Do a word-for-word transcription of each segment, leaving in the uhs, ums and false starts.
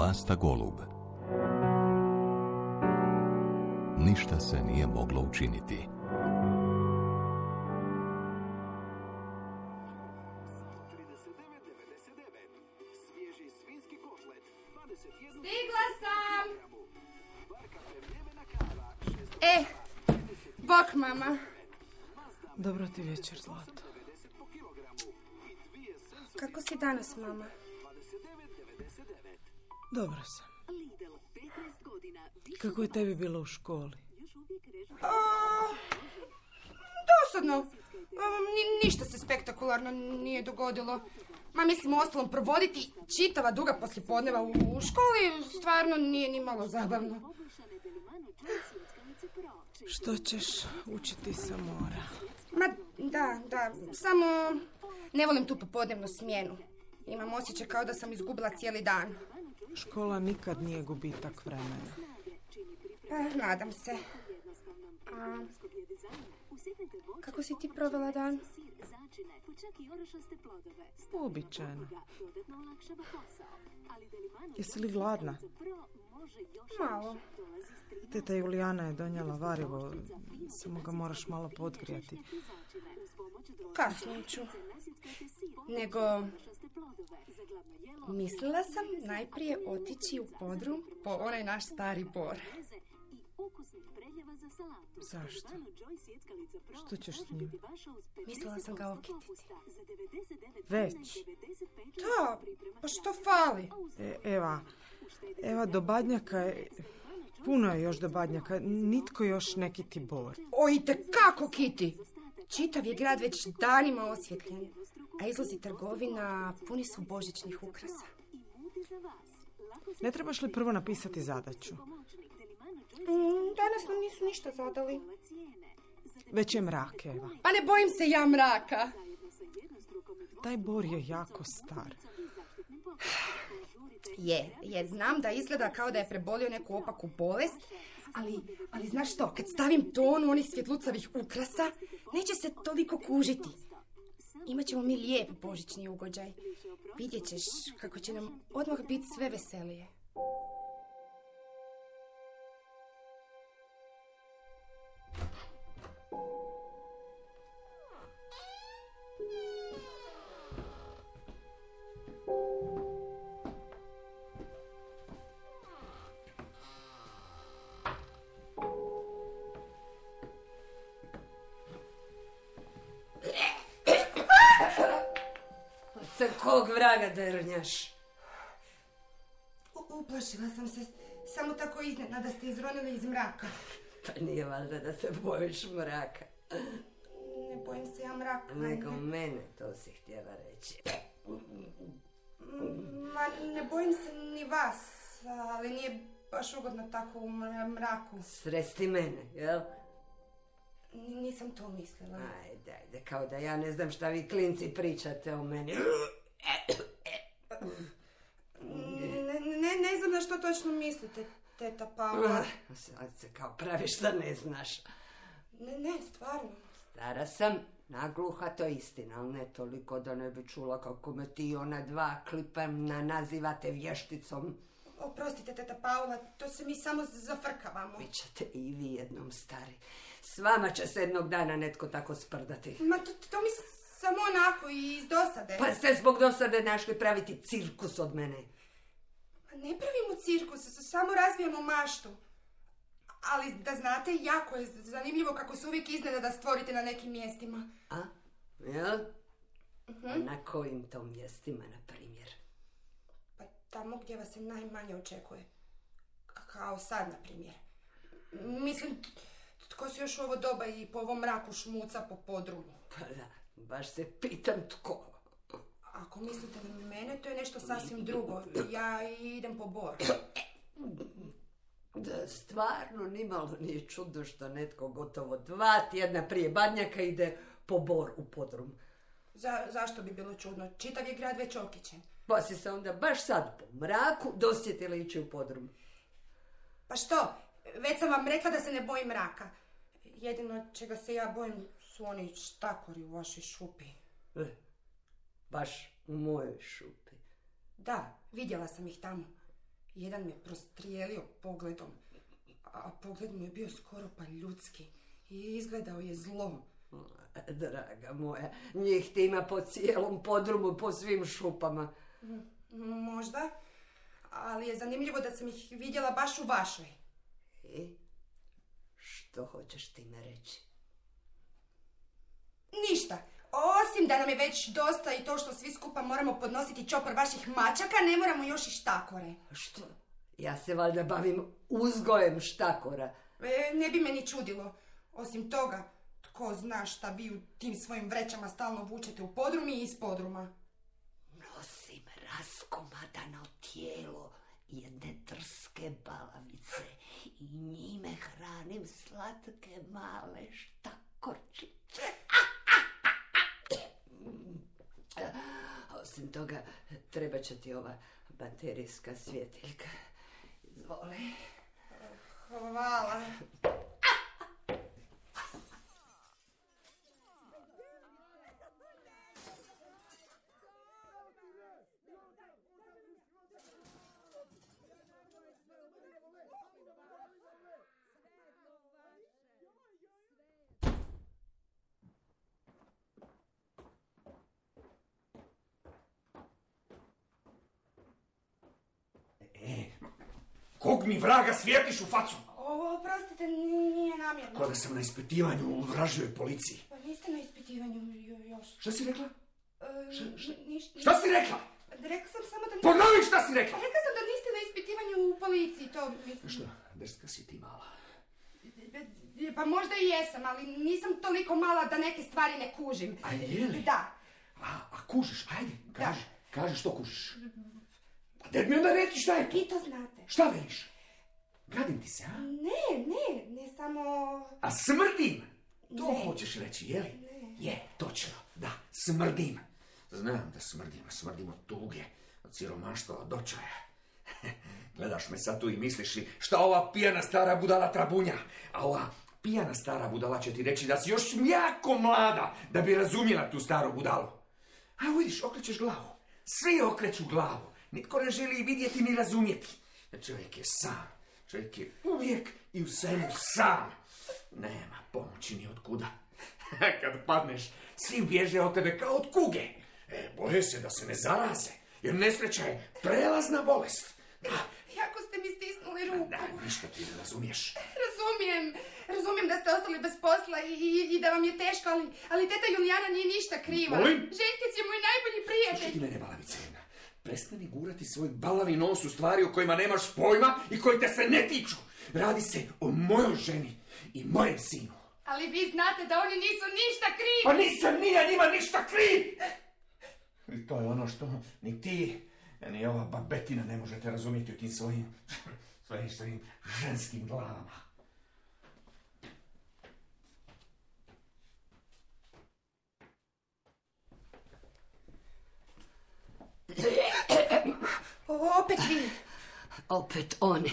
Vlasta Golub. Ništa se nije moglo učiniti. Stigla sam! E, bok mama. Dobro ti večer, Zlato. Kako si danas, mama? Dobro sam. Kako je tebi bilo u školi? A, dosadno. A, ni, ništa se spektakularno nije dogodilo. Ma mislim, ostalom provoditi čitava duga poslijepodneva u, u školi stvarno nije ni malo zabavno. Što ćeš učiti sa mora? Ma da, da, samo ne volim tu popodnevnu smjenu. Imam osjećaj kao da sam izgubila cijeli dan. Škola nikad nije gubitak vremena. Pa, nadam se. A, kako si ti provela dan? Uobičajeno. Jesi li gladna? Malo. Teta Julijana je donijela varivo, samo ga moraš malo podgrijati. Kasnije ću. Nego, mislila sam najprije otići u podrum po onaj naš stari bor. Zašto? Što ćeš s njim? Mislila sam ga okititi. Već? Da, pa što fali? E, Eva, Eva, do Badnjaka je... Puno je još do Badnjaka, nitko još ne kiti bor. O, itekako kiti! Čitav je grad već danima osvjetljen, a izlazi trgovina, puni su božićnih ukrasa. Ne trebaš li prvo napisati zadaću? Mm, danas nam nisu ništa zadali. Već je mrak, Eva. Pa ne bojim se ja mraka. Taj bor je jako star. Je, je, znam da izgleda kao da je prebolio neku opaku bolest, ali, ali znaš što, kad stavim tonu onih svjetlucavih ukrasa, neće se toliko kužiti. Imaćemo mi lijep božićni ugođaj. Vidjet ćeš kako će nam odmah biti sve veselije. Sa kog vraga drnjaš? U- uplašila sam se, samo tako iznenada ste izronili iz mraka. Pa nije valjda da se bojiš mraka. Ne bojim se ja mraka. Nego mene, to si htjela reći. Ma, ne bojim se ni vas, ali nije baš ugodno tako u mra- mraku. Sresti mene, jel? N- nisam to mislila. Ajde, ajde, kao da ja ne znam šta vi klinci pričate o meni. Ne, ne, ne znam na što točno mislite, teta Paula. Sad se kao praviš da ne znaš. Ne, ne, stvarno. Stara sam, nagluha, to je istina, ali ne toliko da ne bi čula kako me ti ona dva klipana nazivate vješticom. Oprostite, teta Paula, to se mi samo zafrkavamo. Bićete i vi jednom stari. S vama će se jednog dana netko tako sprdati. Ma to, to mi samo onako i iz dosade. Pa ste zbog dosade našli praviti cirkus od mene. Ma ne pravimo cirkus, s- samo razvijamo maštu. Ali da znate, jako je zanimljivo kako se uvijek iznenada stvorite na nekim mjestima. A? Jel? Uh-huh. Na kojim to mjestima, na primjer? Pa tamo gdje vas se najmanje očekuje. K- kao sad, na primjer. Mislim, t- tko se još u ovo doba i po ovom mraku šmuca po podrumu? Pa da, baš se pitam tko. Ako mislite na mene, to je nešto sasvim drugo. Ja idem po bor. Da, stvarno nimalo nije čudno što netko gotovo dva tjedna prije Badnjaka ide po bor u podrum. Za, zašto bi bilo čudno? Čitav je grad već okićen. Pa si se onda baš sad po mraku dosjetila ići u podrum. Pa što? Već sam vam rekla da se ne bojim mraka. Jedino čega se ja bojim su oni štakori u vašoj šupi. E, baš u mojoj šupi. Da, vidjela sam ih tamo. Jedan me prostrijelio pogledom, a pogled mu je bio skoro pa ljudski i izgledao je zlo. Draga moja, njih ti ima po cijelom podrumu, po svim šupama. Možda, ali je zanimljivo da sam ih vidjela baš u vašoj. I što hoćeš time reći? Ništa. Osim da nam je već dosta i to što svi skupa moramo podnositi čopor vaših mačaka, ne moramo još i štakore. Što? Ja se valjda bavim uzgojem štakora. E, ne bi me ni čudilo. Osim toga, tko zna šta vi u tim svojim vrećama stalno vučete u podrum i iz podruma. Nosim raskomadano tijelo jedne drske balavice i njime hranim slatke male štakorčiće. Osim toga, treba će ti ova baterijska svjetiljka. Izvoli. Hvala. Kog mi vraga svijetliš u facu? O, oprostite, nije namjerno. Ko da sam na ispitivanju u vražjoj policiji. Pa niste na ispitivanju još. Šta si rekla? E, Šta, šta? ništa. Šta si rekla? Rekla sam samo da... Ponovi šta si rekla! Rekla sam da niste na ispitivanju u policiji, to mislim. Šta, drska si ti mala. Pa možda i jesam, ali nisam toliko mala da neke stvari ne kužim. A je li? Da. A, a kužiš, ajde, kaži, kaži što kužiš. A daj mi onda reći šta je to? Vi to znate. Šta veliš? Gadim ti se, a? Ne, ne, ne samo... A smrdim? To Ne. hoćeš reći, je li? Ne. Je, točno, da, smrdim. Znam da smrdim, smrdim od tuge, od siromaštva, od očaja. Gledaš me sad tu i misliš li šta ova pijana stara budala trabunja, a ova pijana stara budala će ti reći da si još jako mlada da bi razumjela tu staru budalu. A vidiš, okrećeš glavu. Svi okreću glavu. Nitko ne želi vidjeti ni razumjeti. Čovjek je sam. Čovjek je uvijek i u svemu sam. Nema pomoći ni od kuda. Kad padneš, svi bježe od tebe kao od kuge. E, boje se da se ne zaraze, jer nesreća je prelazna bolest. Da, Jako ste mi stisnuli ruku. da, ništa ti ne razumiješ. Razumijem, razumijem da ste ostali bez posla i, i, i da vam je teško, ali, ali teta Julijana nije ništa kriva. Molim? Željkec je moj najbolji Slušaj prijatelj. ti mene, balavice jedna. Prestani gurati svoj balavi nos u stvari o kojima nemaš pojma i koji te se ne tiču. Radi se o mojoj ženi i mojem sinu. Ali vi znate da oni nisu ništa krivi. Pa nisam ni ja njima ništa kriv! I to je ono što ni ti, ni ova babetina ne možete razumjeti u tim svojim, svojim, svojim ženskim glavama. O, opet vi. Opet oni.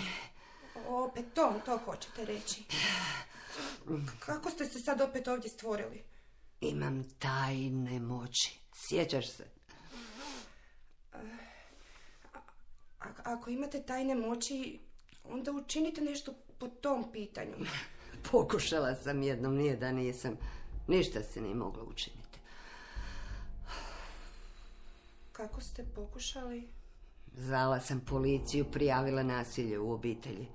Opet to, to hoćete reći. Kako ste se sad opet ovdje stvorili? Imam tajne moći. Sjećaš se? A, ako imate tajne moći, onda učinite nešto po tom pitanju. Pokušala sam jednom, nije da nisam. Ništa se nije moglo učiniti. Kako ste pokušali? Zvala sam policiju, prijavila nasilje u obitelji.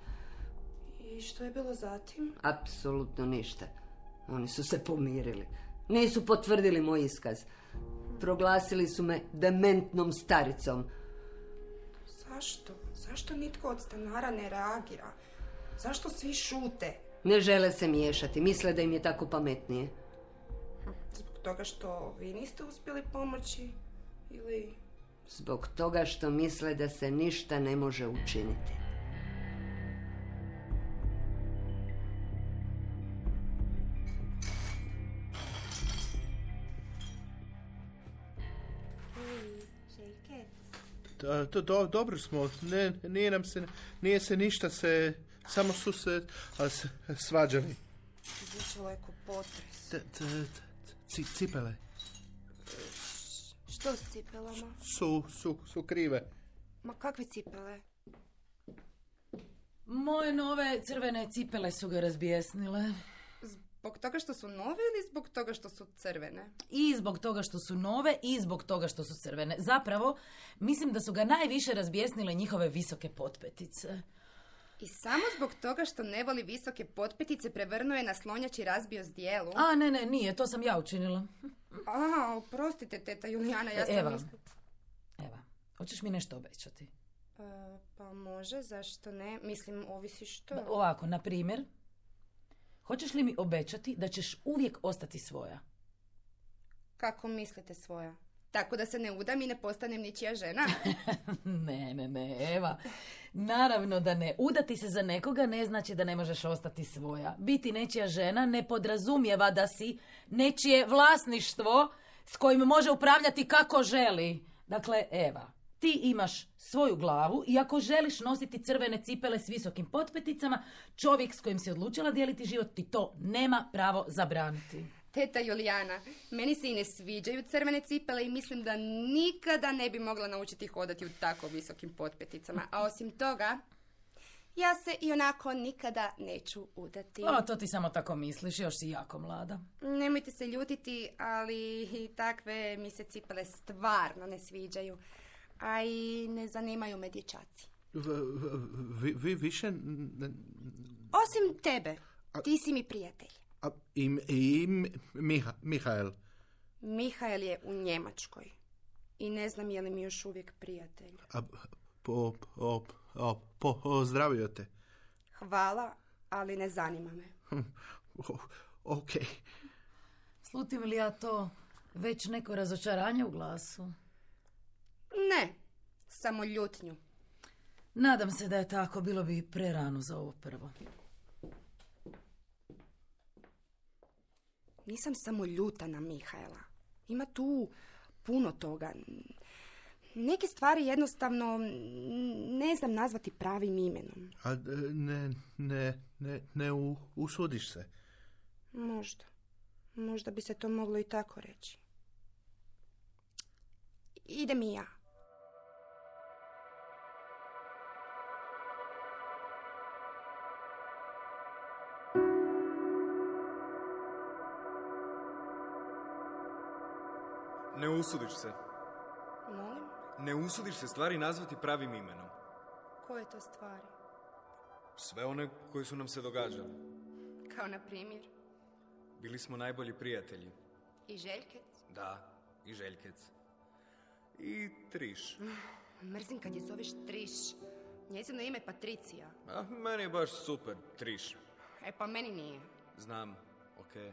I što je bilo zatim? Apsolutno ništa. Oni su se pomirili. Nisu potvrdili moj iskaz. Proglasili su me dementnom staricom. Zašto? Zašto nitko od stanara ne reagira? Zašto svi šute? Ne žele se miješati. Misle da im je tako pametnije. Zbog toga što vi niste uspjeli pomoći? Ili... Zbog toga što misle da se ništa ne može učiniti. Da, do, do, dobro smo, ne, nije nam se, nije se ništa se, samo su se a, s, svađali. Zvučalo je ko potres. T, t, t, ci, cipele Što s cipelama? su, su, su krive. Ma kakve cipele? Moje nove crvene cipele su ga razbijesnile. Zbog toga što su nove ili zbog toga što su crvene? I zbog toga što su nove i zbog toga što su crvene. Zapravo, mislim da su ga najviše razbijesnile njihove visoke potpetice. I samo zbog toga što ne voli visoke potpetice prevrnuo je na slonjači i razbio zdjelu? A, ne, ne, nije, to sam ja učinila. A, oprostite, teta Julijana, ja sam Eva, mislila... Eva, hoćeš mi nešto obećati? Uh, pa može, zašto ne? Mislim, ovisi što. Da, ovako, na primjer, hoćeš li mi obećati da ćeš uvijek ostati svoja? Kako mislite svoja? Tako da se ne udam i ne postanem ničija žena? Ne, ne, ne, Eva. Naravno da ne. Udati se za nekoga ne znači da ne možeš ostati svoja. Biti nečija žena ne podrazumijeva da si nečije vlasništvo s kojim može upravljati kako želi. Dakle, Eva, ti imaš svoju glavu i ako želiš nositi crvene cipele s visokim potpeticama, čovjek s kojim si odlučila dijeliti život ti to nema pravo zabraniti. Teta Julijana, meni se i ne sviđaju crvene cipele i mislim da nikada ne bi mogla naučiti hodati u tako visokim potpeticama. A osim toga, ja se i onako nikada neću udati. O, to ti samo tako misliš, još si jako mlada. Nemojte se ljutiti, ali i takve mi se cipele stvarno ne sviđaju. A i ne zanimaju me dječaci. Vi, vi više... Ne... Osim tebe, ti si mi prijatelj. A, i, i Miha, Mihael. Mihael je u Njemačkoj. I ne znam je li mi još uvijek prijatelj. A, po, po, po, po, pozdravio te. Hvala, ali ne zanima me. Ok. Slutim li ja to već neko razočaranje u glasu? Ne, samo ljutnju. Nadam se da je tako, bilo bi prerano za ovo prvo. Nisam samo ljuta na Mihaela. Ima tu puno toga. Neke stvari jednostavno ne znam nazvati pravim imenom. A ne, ne, ne, ne u, usudiš se? Možda. Možda bi se to moglo i tako reći. Idem i ja. Ne usudiš se. Molim? Ne usudiš se stvari nazvati pravim imenom. Koje to stvari? Sve one koje su nam se događale. Kao na primjer? Bili smo najbolji prijatelji. I Željkec? Da, i Željkec. I Triš. Mrzim kad je zoveš Triš. Njezino ime je Patricija. A, meni je baš super, Triš. E pa meni nije. Znam, okej. Okay.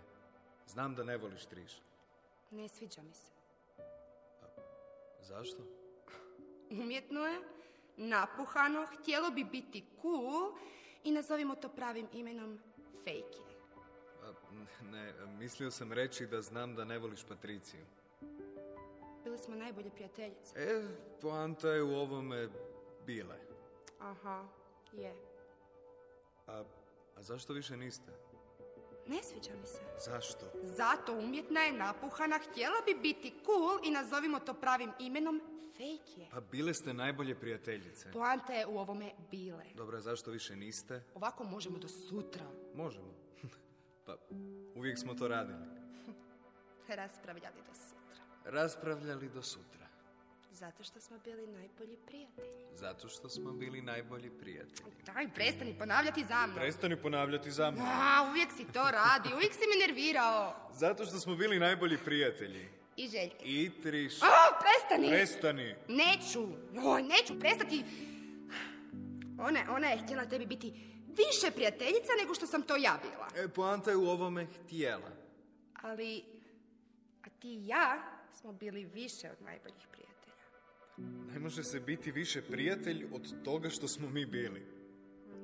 Znam da ne voliš Triš. Ne sviđa mi se. Zašto? Umjetno je, napuhano, htjelo bi biti cool i nazovimo to pravim imenom fake je. Ne, mislio sam reći da znam da ne voliš Patriciju. Bili smo najbolje prijateljice. E, poanta je u ovome bile. Aha, je. A, a zašto više niste? Ne sviđa mi se. Zašto? Zato umjetna je, napuhana, htjela bi biti cool i nazovimo to pravim imenom fake je. Pa bile ste najbolje prijateljice. Poanta je u ovome bile. Dobro, zašto više niste? Ovako možemo do sutra. Možemo. Pa uvijek smo to radili. Raspravljali do sutra. Raspravljali do sutra. Zato što smo bili najbolji prijatelji. Zato što smo bili najbolji prijatelji. Daj, prestani ponavljati za mnom. Prestani ponavljati za mnom. A, uvijek si to radi, uvijek si me nervirao. Zato što smo bili najbolji prijatelji. I Željke. I Triš. A, prestani! Prestani! Neću, oj, neću, prestati. Ona, ona je htjela tebi biti više prijateljica nego što sam to ja bila. E, poanta je u ovome htjela. Ali, a ti i ja smo bili više od najboljih prijatelja. Ne može se biti više prijatelj od toga što smo mi bili.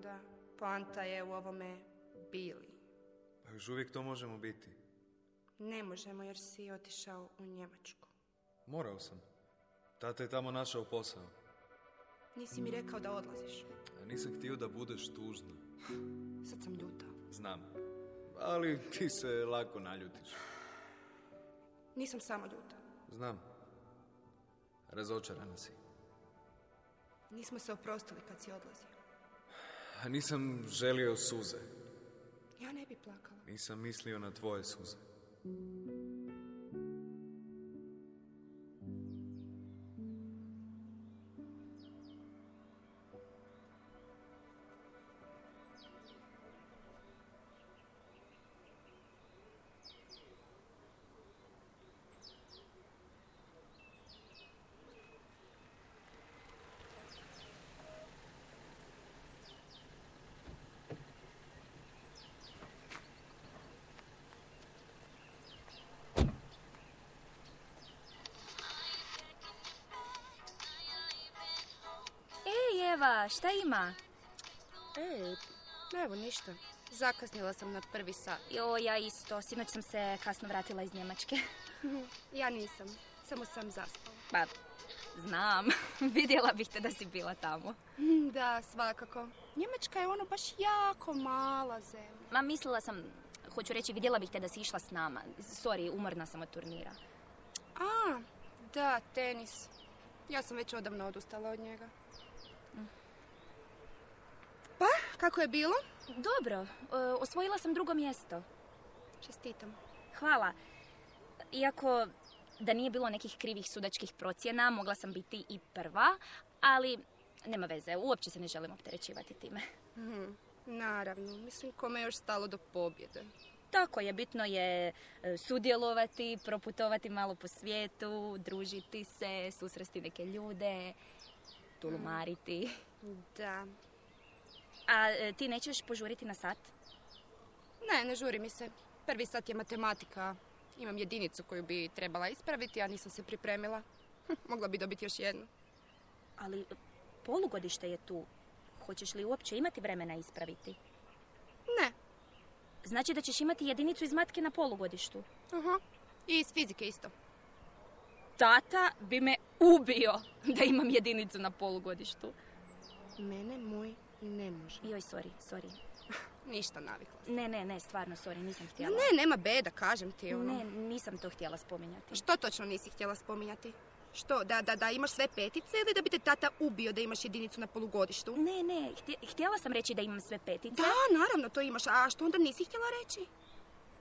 Da, poanta je u ovome bili. Pa još uvijek to možemo biti. Ne možemo jer si otišao u Njemačku. Morao sam. Tata je tamo našao posao. Nisi mi rekao da odlaziš. A nisam htio da budeš tužna. Sad sam ljuta. Znam. Ali ti se lako naljutiš. Nisam samo ljuta. Znam. Razočarana si. Nismo se oprostili kad si odlazio. A nisam želio suze. Ja ne bi plakala. Nisam mislio na tvoje suze. Eva, šta ima? Ej, evo ništa. Zakasnila sam na prvi sat. Jo, ja isto. Sinoć sam se kasno vratila iz Njemačke. Ja nisam. Samo sam zaspala. Pa, znam. Vidjela bih te da si bila tamo. Da, svakako. Njemačka je ono baš jako mala zemlja. Ma, mislila sam, hoću reći, vidjela bih te da si išla s nama. Sorry, umorna sam od turnira. A, da, tenis. Ja sam već odavno odustala od njega. Pa, kako je bilo? Dobro, e, osvojila sam drugo mjesto. Čestitam. Hvala. Iako da nije bilo nekih krivih sudačkih procjena, mogla sam biti i prva, ali nema veze, uopće se ne želim opterećivati time. Mhm, naravno, mislim kome je još stalo do pobjede. Tako je, bitno je sudjelovati, proputovati malo po svijetu, družiti se, susresti neke ljude, tulumariti. Da. A e, ti nećeš požuriti na sat? Ne, ne žuri mi se. Prvi sat je matematika. Imam jedinicu koju bi trebala ispraviti, a nisam se pripremila. Hm, mogla bi dobiti još jednu. Ali polugodište je tu. Hoćeš li uopće imati vremena ispraviti? Ne. Znači da ćeš imati jedinicu iz matke na polugodištu? Aha. I iz fizike isto. Tata bi me ubio da imam jedinicu na polugodištu. Mene moj ne može. Joj, sorry, sorry. Ništa, navikla. Ne, ne, ne, stvarno, sorry, nisam htjela. Ne, nema beda, kažem ti ono. Ne, nisam to htjela spominjati. Što točno nisi htjela spominjati? Što, da, da, da imaš sve petice ili da bi te tata ubio da imaš jedinicu na polugodištu? Ne, ne, htjela sam reći da imam sve petice. Da, naravno, to imaš. A što onda nisi htjela reći?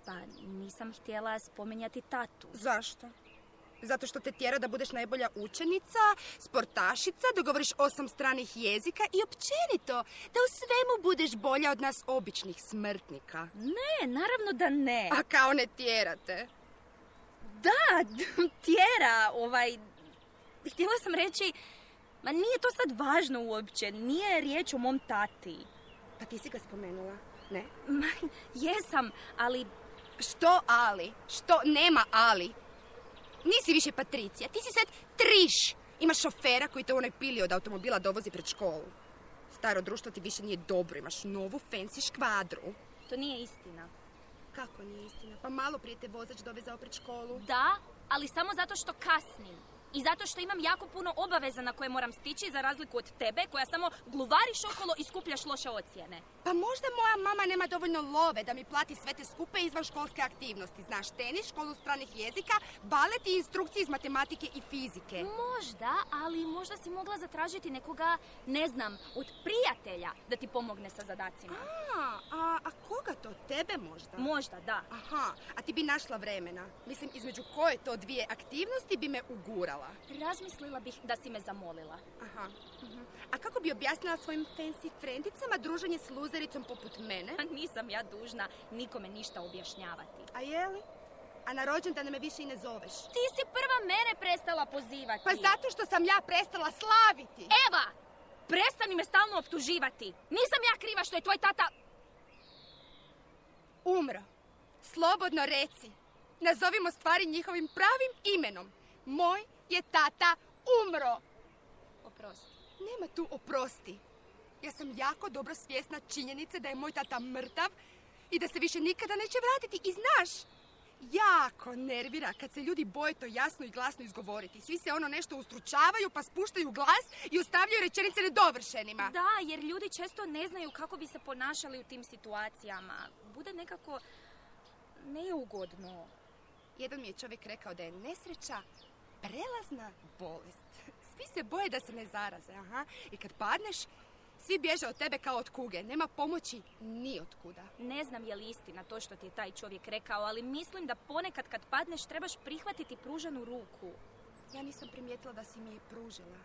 Pa, nisam htjela spominjati tatu. Zašto? Zato što te tjera da budeš najbolja učenica, sportašica, da govoriš osam stranih jezika i općenito da u svemu budeš bolja od nas običnih smrtnika. Ne, naravno da ne. A kao ne tjerate. Da, tjera, ovaj... Htjela sam reći, ma nije to sad važno uopće, nije riječ o mom tati. Pa ti si ga spomenula, ne? Ma, jesam, ali... Što ali? Što nema ali? Nisi više Patricija, ti si sad Triš. Imaš šofera koji te u onoj pili od automobila dovozi pred školu. Staro društvo ti više nije dobro, imaš novu fancy škvadru. To nije istina. Kako nije istina? Pa malo prije te vozač dovezao pred školu. Da, ali samo zato što kasnim. I zato što imam jako puno obaveza na koje moram stići, za razliku od tebe, koja samo gluvariš okolo i skupljaš loše ocjene. Pa možda moja mama nema dovoljno love da mi plati sve te skupe izvan školske aktivnosti. Znaš, tenis, školu stranih jezika, balet i instrukcije iz matematike i fizike. Možda, ali možda si mogla zatražiti nekoga, ne znam, od prijatelja da ti pomogne sa zadacima. A, a, a koga to? Tebe možda? Možda, da. Aha, a ti bi našla vremena. Mislim, između koje to dvije aktivnosti bi me ugurala. Razmislila bih da si me zamolila. Aha. Uh-huh. A kako bi objasnila svojim fancy frendicama druženje s luzericom poput mene? Nisam ja dužna nikome ništa objašnjavati. A je li? A na rođendan me više i ne zoveš. Ti si prva mene prestala pozivati. Pa zato što sam ja prestala slaviti. Eva! Prestani me stalno optuživati. Nisam ja kriva što je tvoj tata... umro. Slobodno reci. Nazovimo stvari njihovim pravim imenom. Moj je tata umro. Oprosti. Nema tu oprosti. Ja sam jako dobro svjesna činjenice da je moj tata mrtav i da se više nikada neće vratiti. I znaš, jako nervira kad se ljudi boje to jasno i glasno izgovoriti. Svi se ono nešto ustručavaju pa spuštaju glas i ostavljaju rečenice nedovršenima. Da, jer ljudi često ne znaju kako bi se ponašali u tim situacijama. Bude nekako neugodno. Jedan mi je čovjek rekao da je nesreća prelazna bolest. Svi se boje da se ne zaraze, aha. I kad padneš, Svi bježe od tebe kao od kuge. Nema pomoći ni od kuda. Ne znam je li istina to što ti je taj čovjek rekao, ali mislim da ponekad kad padneš trebaš prihvatiti pruženu ruku. Ja nisam primijetila da si mi je pružila.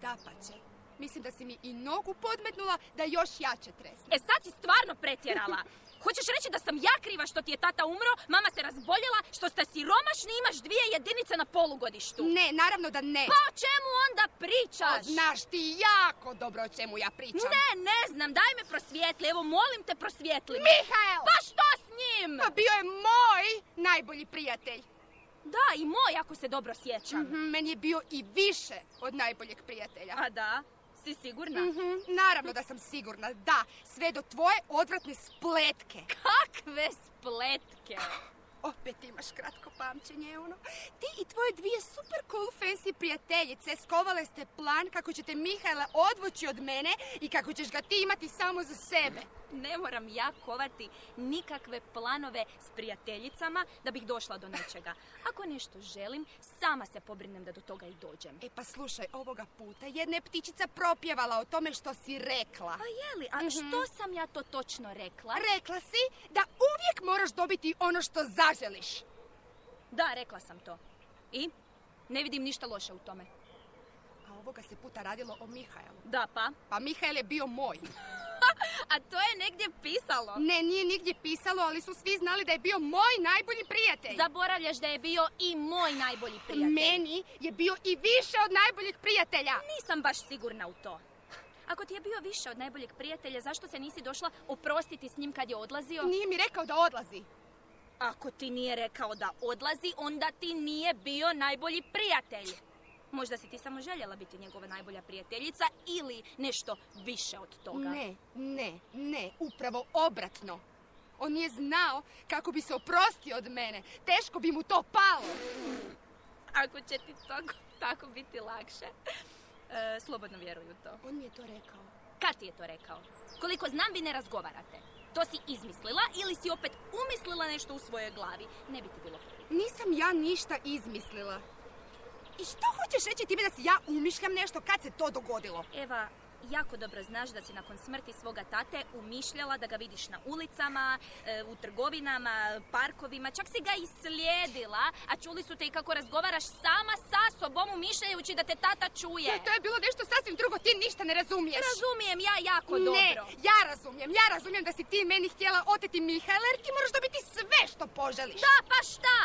Dapače. Mislim da si mi i nogu podmetnula da još jače tresne. E sad si stvarno pretjerala. Hoćeš reći da sam ja kriva što ti je tata umro, mama se razboljela, što ste siromašni i imaš dvije jedinice na polugodištu? Ne, naravno da ne. Pa o čemu onda pričaš? O, znaš ti jako dobro o čemu ja pričam. Ne, ne znam, daj me prosvijetli, evo molim te prosvijetli. Mihael! Pa što s njim? Pa bio je moj najbolji prijatelj. Da, i moj, ako se dobro sjećam. Mm-hmm, meni je bio i više od najboljeg prijatelja. A da? Si sigurna? Mm-hmm, naravno da sam sigurna, da. Sve do tvoje odvratne spletke. Kakve spletke? Opet imaš kratko pamćenje, ono. Ti i tvoje dvije super cool fancy prijateljice skovale ste plan kako ćete Mihaela odvući od mene i kako ćeš ga ti imati samo za sebe. Ne moram ja kovati nikakve planove s prijateljicama da bih došla do nečega. Ako nešto želim, sama se pobrinem da do toga i dođem. E pa slušaj, ovoga puta jedna je ptičica propjevala o tome što si rekla. Pa jeli, a mm-hmm. što sam ja to točno rekla? Rekla si da uvijek moraš dobiti ono što zaželiš. Da, rekla sam to. I? Ne vidim ništa loše u tome. A ovoga se puta radilo o Mihaelu. Da, pa? Pa Mihael je bio moj. A to je negdje pisalo. Ne, nije nigdje pisalo, ali su svi znali da je bio moj najbolji prijatelj. Zaboravljaš da je bio i moj najbolji prijatelj. Meni je bio i više od najboljeg prijatelja. Nisam baš sigurna u to. Ako ti je bio više od najboljeg prijatelja, zašto se nisi došla oprostiti s njim kad je odlazio? Nije mi rekao da odlazi. Ako ti nije rekao da odlazi, onda ti nije bio najbolji prijatelj. Možda si ti samo željela biti njegova najbolja prijateljica ili nešto više od toga. Ne, ne, ne, upravo obratno. On nije znao kako bi se oprostio od mene. Teško bi mu to palo. Ako će ti tako, tako biti lakše, e, slobodno vjeruj u to. On mi je to rekao. Kad ti je to rekao? Koliko znam, vi ne razgovarate. To si izmislila ili si opet umislila nešto u svojoj glavi. Ne bi ti bilo prvi. Nisam ja ništa izmislila. I što hoćeš reći time da si ja umišljam nešto kad se to dogodilo? Eva, jako dobro znaš da si nakon smrti svoga tate umišljala da ga vidiš na ulicama, u trgovinama, parkovima, čak si ga i slijedila, a čuli su te i kako razgovaraš sama sa sobom umišljajući da te tata čuje. To, to je bilo nešto sasvim drugo, ti ništa ne razumiješ. Razumijem ja jako ne, dobro. Ne, ja razumijem, ja razumijem da si ti meni htjela oteti Mihaela jer ti moraš dobiti sve što poželiš. Da, pa šta?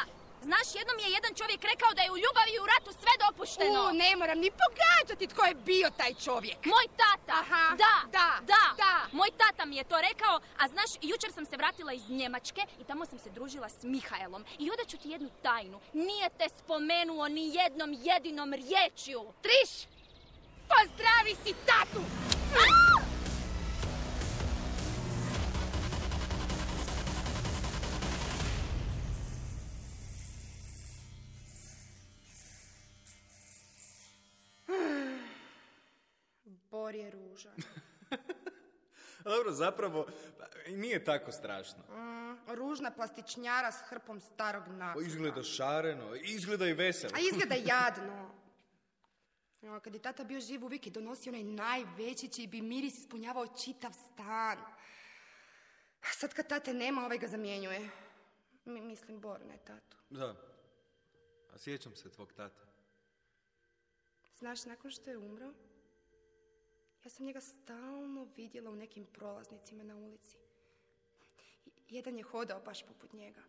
Znaš, jednom je jedan čovjek rekao da je u ljubavi i u ratu sve dopušteno. U, ne moram ni pogađati tko je bio taj čovjek. Moj tata. Aha, da, da, da, da. Moj tata mi je to rekao, a znaš, jučer sam se vratila iz Njemačke i tamo sam se družila s Mihaelom. I onda ću ti jednu tajnu. Nije te spomenuo ni jednom jedinom riječju. Triš, pozdravi si tatu! A! Bor je ružan. Dobro, zapravo, nije tako strašno. Mm, ružna plastičnjara s hrpom starog naslova. Izgleda šareno, izgleda i veselo. A izgleda jadno. O, kad je tata bio živ, uvijek je donosio onaj najveći čiji bi miris ispunjavao čitav stan. A sad kad tate nema, ovaj ga zamjenjuje. Mi, mislim, Bor, ne tatu. Da. A sjećam se tvog tata. Znaš, nakon što je umro, ja sam njega stalno vidjela u nekim prolaznicima na ulici. Jedan je hodao baš poput njega.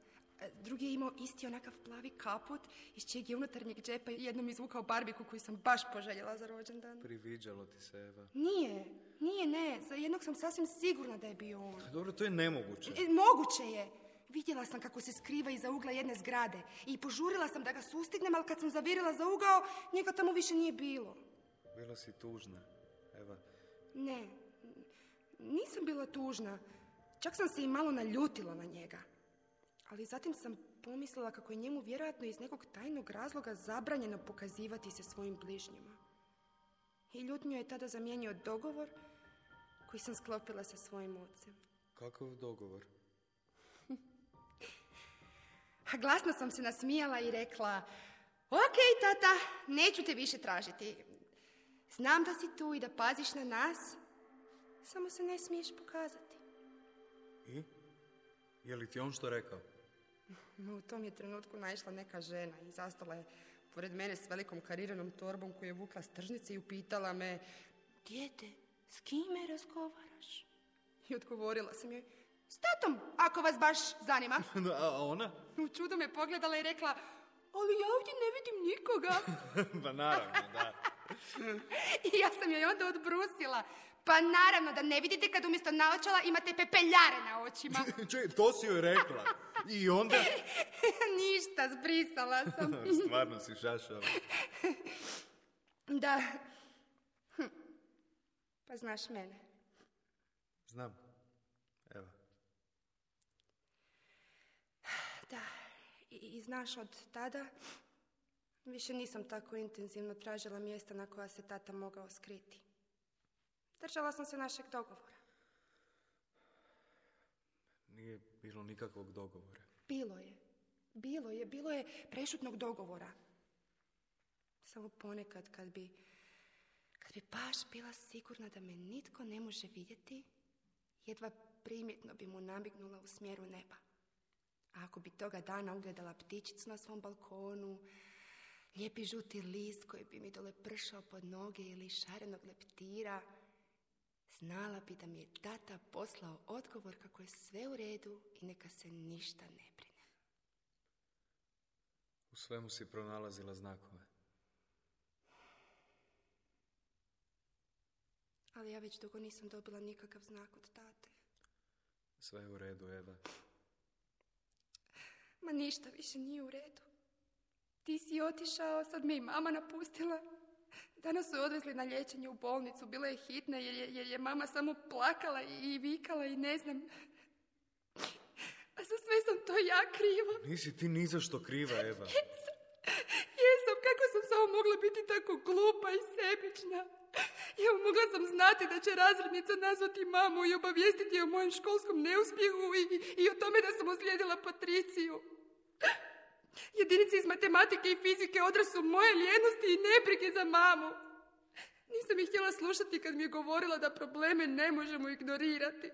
Drugi je imao isti onakav plavi kaput iz čijeg je unutarnjeg džepa jednom izvukao barbiku koju sam baš poželjela za rođendan. Priviđalo ti se, Eva. Nije, nije, ne. Za jednog sam sasvim sigurna da je bio on. Dobro, to je nemoguće. E, moguće je. Vidjela sam kako se skriva iza ugla jedne zgrade i požurila sam da ga sustignem, ali kad sam zavirila za ugao, njega tamo više nije bilo. Bila si tužna, Eva. Ne, nisam bila tužna. Čak sam se i malo naljutila na njega. Ali zatim sam pomislila kako je njemu vjerojatno iz nekog tajnog razloga zabranjeno pokazivati se svojim bližnjima. I ljutnju je tada zamijenio dogovor koji sam sklopila sa svojim ocem. Kakav dogovor? A glasno sam se nasmijala i rekla: ok, tata, neću te više tražiti. Znam da si tu i da paziš na nas, Samo se ne smiješ pokazati. I? Je li ti on što rekao? U tom je trenutku naišla neka žena i zastala je pored mene s velikom kariranom torbom koju je vukla s tržnice i upitala me: dijete, s kime razgovaraš? I odgovorila sam joj: s tatom, ako vas baš zanima. A ona? U čudu me pogledala i rekla: ali ja ovdje ne vidim nikoga. Pa naravno, da. I ja sam joj onda odbrusila: pa naravno da ne vidite kad umjesto naočala imate pepeljare na očima. Čuj, to si joj rekla. I onda? Ništa, zbrisala sam. Stvarno si šašao. Da. Hm. Pa znaš mene. Znam. Evo. Da. I, i znaš, od tada više nisam tako intenzivno tražila mjesta na koja se tata mogao skriti. Držala sam se našeg dogovora. Nije bilo nikakvog dogovora. Bilo je. Bilo je. Bilo je prešutnog dogovora. Samo ponekad kad bi, kad bi baš bila sigurna da me nitko ne može vidjeti, jedva primjetno bi mu namignula u smjeru neba. A ako bi toga dana ugledala ptičicu na svom balkonu, lijepi žuti list koji bi mi dole pršao pod noge ili šarenog leptira, znala bi da mi je tata poslao odgovor kako je sve u redu i neka se ništa ne brine. U svemu si pronalazila znakove. Ali ja već dugo nisam dobila nikakav znak od tate. Sve je u redu, Eva. Ma ništa više nije u redu. Ti si otišao, sad me i mama napustila. Danas su je odvezli na liječenje u bolnicu. Bila je hitna jer je, jer je mama samo plakala i, i vikala i ne znam. A za sve sam to ja kriva. Nisi ti ni za što kriva, Eva. Jesam. Jesam. Kako sam samo mogla biti tako glupa i sebična? Evo, mogla sam znati da će razrednica nazvati mamu i obavijestiti je o mojem školskom neuspjehu i, i o tome da sam uslijedila Patriciju. Jedinice iz matematike i fizike odraz su moje lijenosti i nebrige za mamu. Nisam ih htjela slušati kad mi je govorila da probleme ne možemo ignorirati.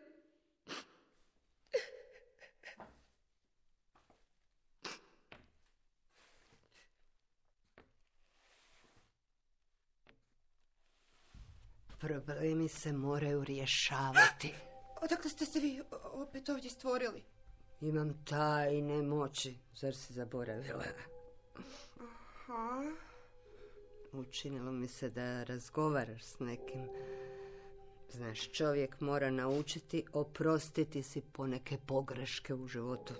Problemi se moraju rješavati. Odakle ste se vi opet ovdje stvorili? Imam tajne moći, zar si zaboravila? Aha. Učinilo mi se da razgovaraš s nekim. Znaš, čovjek mora naučiti oprostiti si poneke pogreške u životu.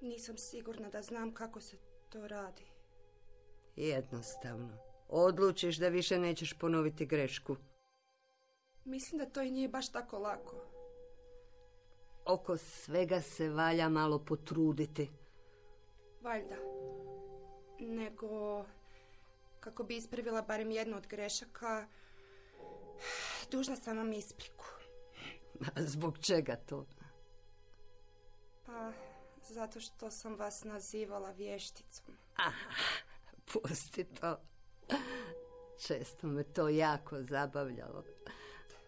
Nisam sigurna da znam kako se to radi. Jednostavno. Odlučiš da više nećeš ponoviti grešku. Mislim da to i nije baš tako lako. Oko svega se valja malo potruditi. Valjda. Nego, kako bi ispravila barem jednu od grešaka, dužna sam vam ispriku. Zbog čega to? Pa, zato što sam vas nazivala vješticom. Aha, pusti to. Često me to jako zabavljalo.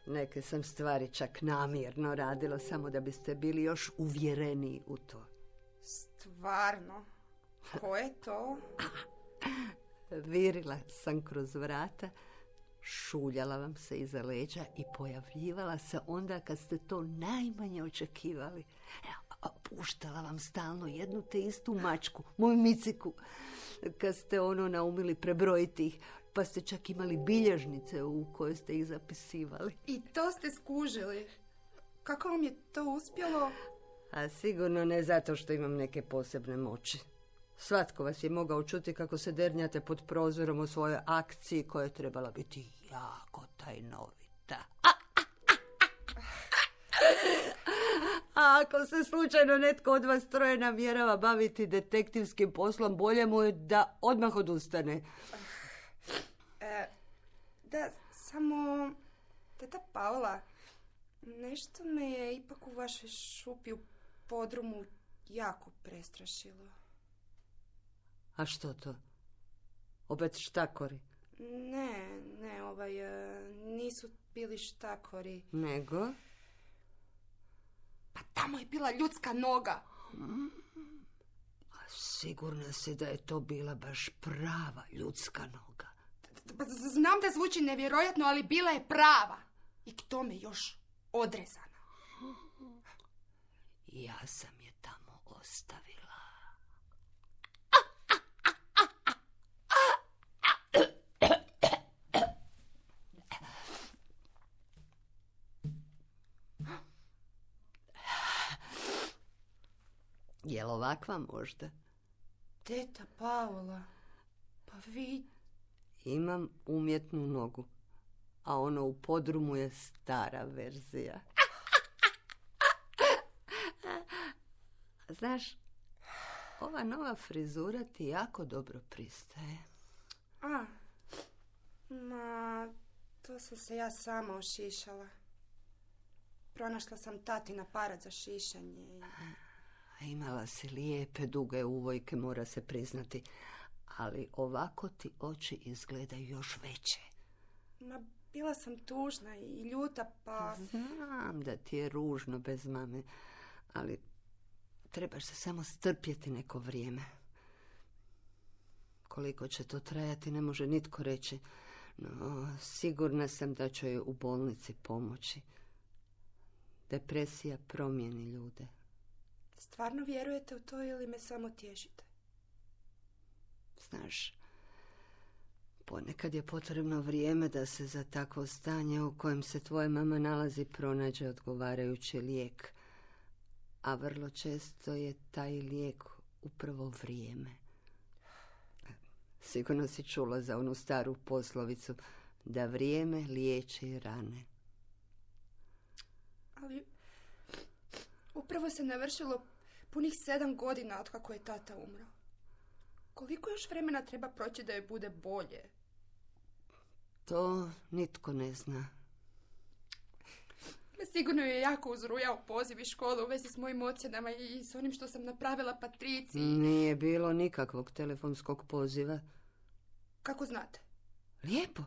Neke sam stvari čak namjerno radila samo da biste bili još uvjereniji u to. Stvarno? Ko je to? Virila sam kroz vrata, šuljala vam se iza leđa i pojavljivala se onda kad ste to najmanje očekivali. A puštala vam stalno jednu te istu mačku, moju Miciku, kad ste ono naumili prebrojiti ih, pa ste čak imali bilježnice u kojoj ste ih zapisivali. I to ste skužili. Kako vam je to uspjelo? A sigurno ne zato što imam neke posebne moći. Svatko vas je mogao čuti kako se dernjate pod prozorom u svojoj akciji koja je trebala biti jako tajnovita. A, a, a, a. A ako se slučajno netko od vas troje namjerava baviti detektivskim poslom, bolje mu je da odmah odustane. E, da, samo... Teta Paula, nešto me je ipak u vašoj šupi u podrumu jako prestrašilo. A što to? Opet štakori? Ne, ne, ovaj, e, nisu bili štakori. Nego? Pa tamo je bila ljudska noga. Mm. A sigurna si da je to bila baš prava ljudska noga? Pa znam da zvuči nevjerojatno, ali bila je prava. I k tome još odrezana. Ja sam je tamo ostavila. Jel ovakva možda? Teta Paola, pa vi... Imam umjetnu nogu, a ono u podrumu je stara verzija. Znaš, ova nova frizura ti jako dobro pristaje. A, ma, to sam se ja sama ošišala. Pronašla sam tatin aparat za šišanje. A imala si lijepe, duge uvojke, mora se priznati. Ali ovako ti oči izgledaju još veće. Ma, bila sam tužna i ljuta, pa... Znam da ti je ružno bez mame, ali trebaš se samo strpjeti neko vrijeme. Koliko će to trajati, ne može nitko reći. No, sigurna sam da će joj u bolnici pomoći. Depresija promijeni ljude. Stvarno vjerujete u to ili me samo tješite? Znaš, ponekad je potrebno vrijeme da se za takvo stanje u kojem se tvoja mama nalazi pronađe odgovarajući lijek. A vrlo često je taj lijek upravo vrijeme. Sigurno si čula za onu staru poslovicu da vrijeme liječi rane. Ali upravo se navršilo punih sedam godina od kako je tata umro. Koliko još vremena treba proći da joj bude bolje? To nitko ne zna. Sigurno je jako uzrujao poziv iz škole u vezi s mojim ocjenama i s onim što sam napravila Patriciji. Nije bilo nikakvog telefonskog poziva. Kako znate? Lijepo.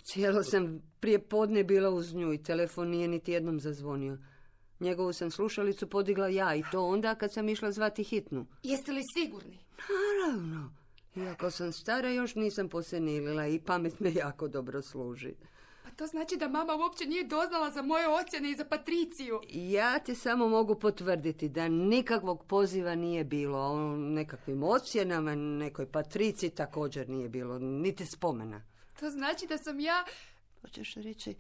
Cijelo sam prije podne bila uz nju i telefon nije niti jednom zazvonio. Njegovu sam slušalicu podigla ja i to onda kad sam išla zvati hitnu. Jeste li sigurni? Naravno. Iako sam stara, još nisam posenilila i pamet me jako dobro služi. Pa to znači da mama uopće nije doznala za moje ocjene i za Patriciju. Ja ti samo mogu potvrditi da nikakvog poziva nije bilo. O nekakvim ocjenama, nekoj Patriciji također nije bilo, niti spomena. To znači da sam ja... Hoćeš reći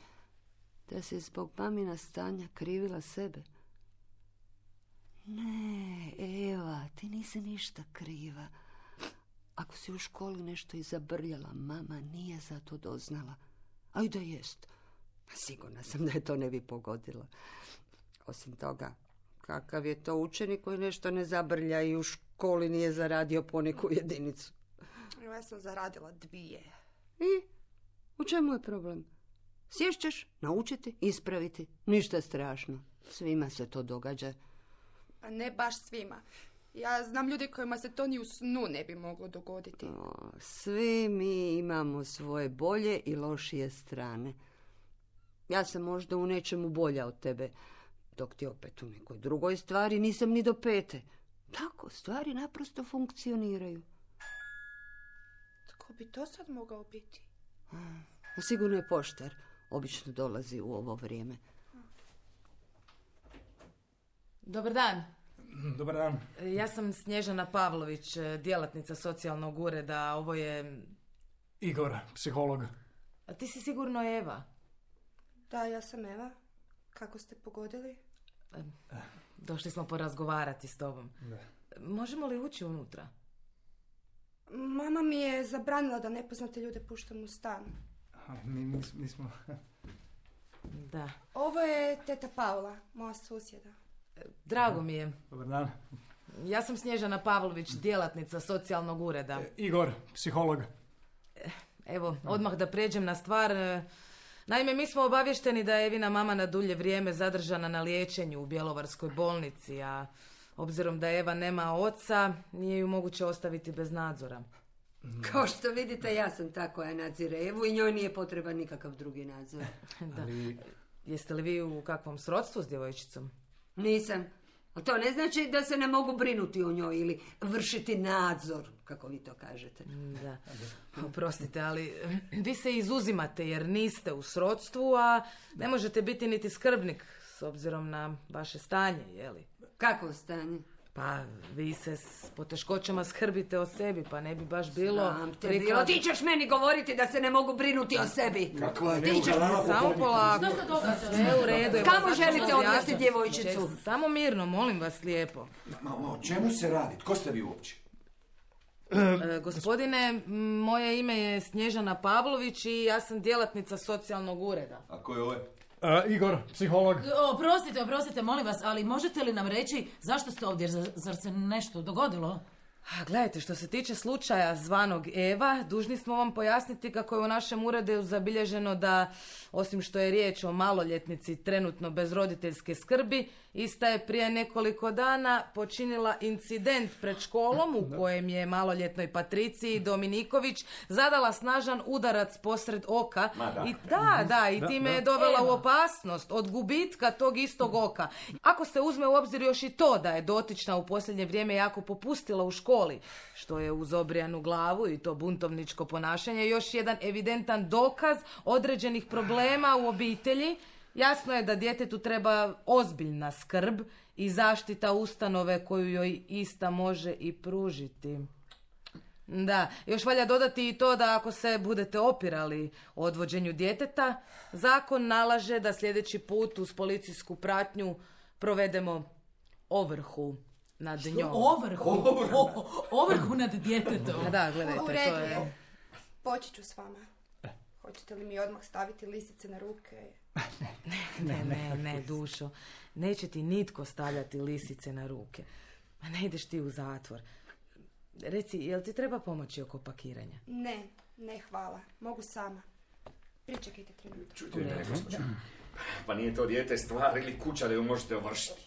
da si zbog mamina stanja krivila sebe? Ne, Eva, ti nisi ništa kriva. Ako si u školi nešto izabrljala, mama nije za to doznala. A i da jest. Sigurna sam da je to ne bi pogodilo. Osim toga, kakav je to učenik koji nešto ne zabrlja i u školi nije zaradio poneku jedinicu? Ja sam zaradila dvije. I? U čemu je problem? Sješćeš, naučiti, ispraviti. Ništa strašno. Svima se to događa. Pa ne baš svima. Ja znam ljude kojima se to ni u snu ne bi moglo dogoditi. O, svi mi imamo svoje bolje i lošije strane. Ja sam možda u nečemu bolja od tebe, dok ti opet u nekoj drugoj stvari nisam ni do pete. Tako, stvari naprosto funkcioniraju. Tko bi to sad mogao biti? A sigurno je poštar. Obično dolazi u ovo vrijeme. Dobar dan. Dobar dan. Ja sam Snježana Pavlović, djelatnica socijalnog ureda. Ovo je... Igor, psiholog. A ti si sigurno Eva? Da, ja sam Eva. Kako ste pogodili? Došli smo porazgovarati s tobom. Da. Možemo li ući unutra? Mama mi je zabranila da nepoznate ljude puštam u stan. Mi nis, nismo... Da. Ovo je teta Paula, moja susjeda. Drago mi je. Dobar dan. Ja sam Snježana Pavlović, djelatnica socijalnog ureda. E, Igor, psiholog. Evo, odmah da pređem na stvar. Naime, mi smo obavješteni da je Evina mama na dulje vrijeme zadržana na liječenju u Bjelovarskoj bolnici, a obzirom da Eva nema oca, nije ju moguće ostaviti bez nadzora. Kao što vidite, ja sam ta koja nadzire Evu i njoj nije potreban nikakav drugi nadzor. Da. Jeste li vi u kakvom srodstvu s djevojčicom? Nisam. Ali to ne znači da se ne mogu brinuti o njoj ili vršiti nadzor, kako vi to kažete. Da. Oprostite, ali vi se izuzimate jer niste u srodstvu, a ne možete biti niti skrbnik s obzirom na vaše stanje, jeli? Kakvo stanje? Pa, vi se s poteškoćama skrbite o sebi, pa ne bi baš bilo... Znam te bilo. Ti ćeš meni govoriti da se ne mogu brinuti o sebi. Kakva je Ti ćeš... Samo polako. Sve u redu. Kamo želite odvesti djevojčicu? Samo mirno, molim vas lijepo. Ma, o čemu se radi? Tko ste vi uopće? E, gospodine, moje ime je Snježana Pavlović i ja sam djelatnica socijalnog ureda. A ko je ovaj? Uh, Igor, psiholog. Oprostite, oprostite, molim vas, ali možete li nam reći zašto ste ovdje, zar, zar se nešto dogodilo? A, gledajte, što se tiče slučaja zvanog Eva, dužni smo vam pojasniti kako je u našem uredu zabilježeno da, osim što je riječ o maloljetnici trenutno bez roditeljske skrbi, ista je prije nekoliko dana počinila incident pred školom u kojem je maloljetnoj Patriciji Dominiković zadala snažan udarac posred oka. I da, da, i time je dovela u opasnost od gubitka tog istog oka. Ako se uzme u obzir još i to da je dotična u posljednje vrijeme jako popustila u školi, što je uz obrijanu glavu i to buntovničko ponašanje još jedan evidentan dokaz određenih problema u obitelji, jasno je da djetetu treba ozbiljna skrb i zaštita ustanove koju joj ista može i pružiti. Da, još valja dodati i to da ako se budete opirali odvođenju djeteta, zakon nalaže da sljedeći put uz policijsku pratnju provedemo ovrhu nad Što? njom. Ovrhu? Ovrhu. O, ovrhu nad djetetom? Da, gledajte, U to redu je... je. Poći ću s vama. Hoćete li mi odmah staviti lisice na ruke? Ne, ne, ne, dušo. Neće ti nitko stavljati lisice na ruke. Ma ne ideš ti u zatvor. Reci, jel ti treba pomoći oko pakiranja? Ne, ne hvala. Mogu sama. Pričekajte trenutak. Čujte, ne, gospođo. Pa nije to dijete stvar ili kuća da ju možete ovršiti.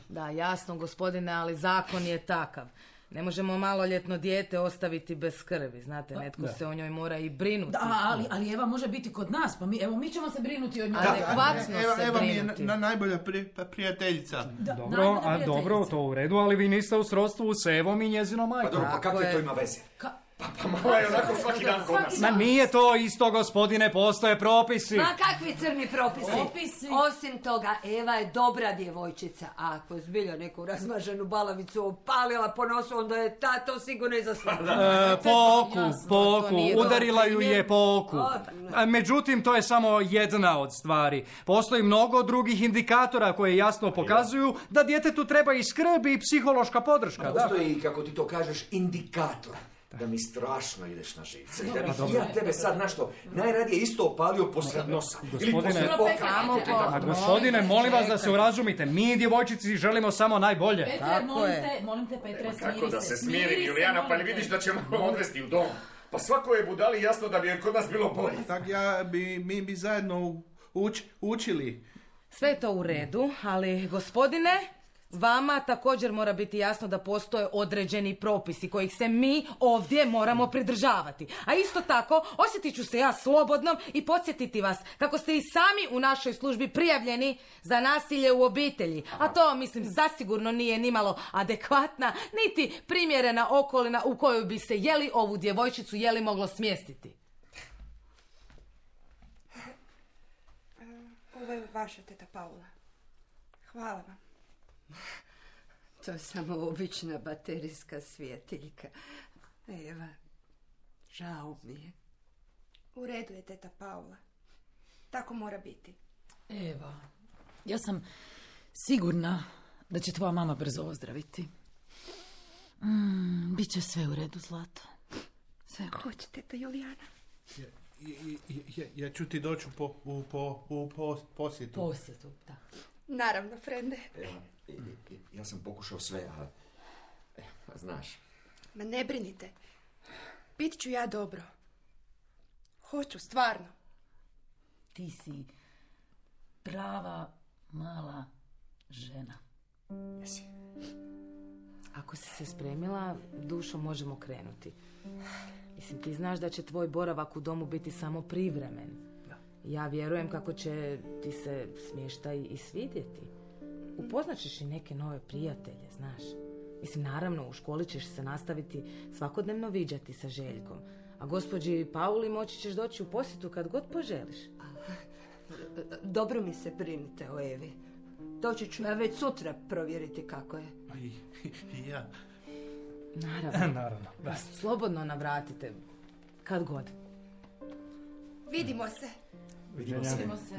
Da, jasno, gospodine, ali zakon je takav. Ne možemo maloljetno dijete ostaviti bez skrbi, znate, netko Da. se o njoj mora i brinuti. Da, ali, ali Eva može biti kod nas, pa mi, evo, mi ćemo se brinuti od njoj. Adekvatno Eva, se Eva mi je brinuti. na, najbolja pri, pa prijateljica. Da, Dobro, najbolja a prijateljica. dobro, to u redu, ali vi niste u srodstvu s Evom i njezinom Pa majkom. dobro, pa Tako kakve je. to ima veze? Ka- Pa, pa mala je onako svaki dan kod nas. Ma nije to isto, gospodine, postoje propisi. Ma kakvi crni propisi? Propisi? Osim toga, Eva je dobra djevojčica. A ako zbilja neku razmaženu balavicu opalila po nosu, onda je ta to sigurno i zaslužila. E, poku, Jasno, to poku, nije dobar udarila ju primjer. je poku. O, A, Međutim, to je samo jedna od stvari. Postoji mnogo drugih indikatora koje jasno pokazuju da djetetu treba i skrb i psihološka podrška. Da. Postoji, kako ti to kažeš, indikator. Da mi strašno ideš na živce. Da bih ja tebe sad našto najradije isto opalio posred nosa. Ili Gospodine- posred Samo oka. po- A gospodine, molim vas da se urazumite. Mi, djevojčici, želimo samo najbolje. Petre, Tako molim je. te, molim te, Petre, smiri Kako da se smiri, smiri Julijana, pa molim ne te. vidiš da ćemo odvesti u dom. Pa svako je budali jasno da bi je kod nas bilo bolje. Tak ja bi, mi bi zajedno uč, učili. Sve je to u redu, ali gospodine, vama također mora biti jasno da postoje određeni propisi kojih se mi ovdje moramo pridržavati. A isto tako, osjetit ću se ja slobodnom i podsjetiti vas kako ste i sami u našoj službi prijavljeni za nasilje u obitelji. A to, mislim, zasigurno nije nimalo adekvatna, niti primjerena okolina u kojoj bi se jeli ovu djevojčicu jeli moglo smjestiti. Ovo je vaša teta Paula. Hvala vam. To je samo obična baterijska svjetiljka. Eva, žao mi je. U redu je teta Paula. Tako mora biti. Eva, ja sam sigurna da će tvoja mama brzo ozdraviti. Mm, Biće sve u redu, zlato. Sve u redu. Hoće teta Julijana. Ja, ja, ja, ja ću ti doći u, po, u, po, u po, posjetu. Posjetu, da. Naravno, frende. Evo, i- i- i- ja sam pokušao sve, a... e, a znaš, Ma ne brinite. Bit ću ja dobro. Hoću, stvarno. Ti si prava mala žena. jesi. Ako si se spremila, dušo, možemo krenuti. Mislim, ti znaš da će tvoj boravak u domu biti samo privremen. Ja vjerujem kako će ti se smještaj i svidjeti. Upoznaćeš i neke nove prijatelje, znaš. Mislim, naravno, u školi ćeš se nastaviti svakodnevno viđati sa Željkom. A gospođi Pauli moći ćeš doći u posjetu kad god poželiš. Dobro mi se brinite o Evi. Doći ću ja već sutra provjeriti kako je. I, i ja. Naravno. Naravno, da. Slobodno navratite. Kad god. Vidimo se. Vidimo se. Vidimo se.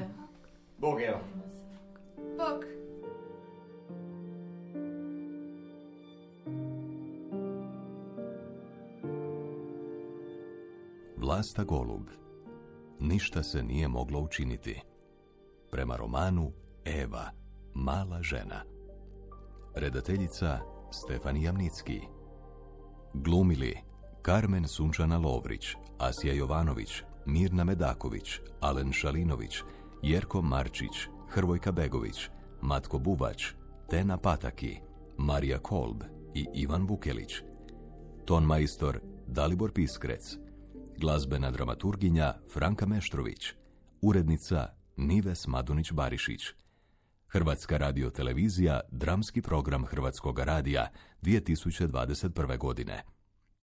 Bog, evo. Bog. Vlasta Golub. Ništa se nije moglo učiniti. Prema romanu Eva, mala žena. Redateljica Stefan Jamnicki. Glumili Karmen Sunčana Lovrić, Asija Jovanović, Mirna Medaković, Alen Šalinović, Jerko Marčić, Hrvojka Begović, Matko Bubač, Tena Pataki, Marija Kolb i Ivan Vukelić. Ton majstor Dalibor Piskrec. Glazbena dramaturginja Franka Meštrović. Urednica Nives Madunić-Barišić. Hrvatska radiotelevizija, dramski program Hrvatskog radija dvije tisuće dvadeset prve godine.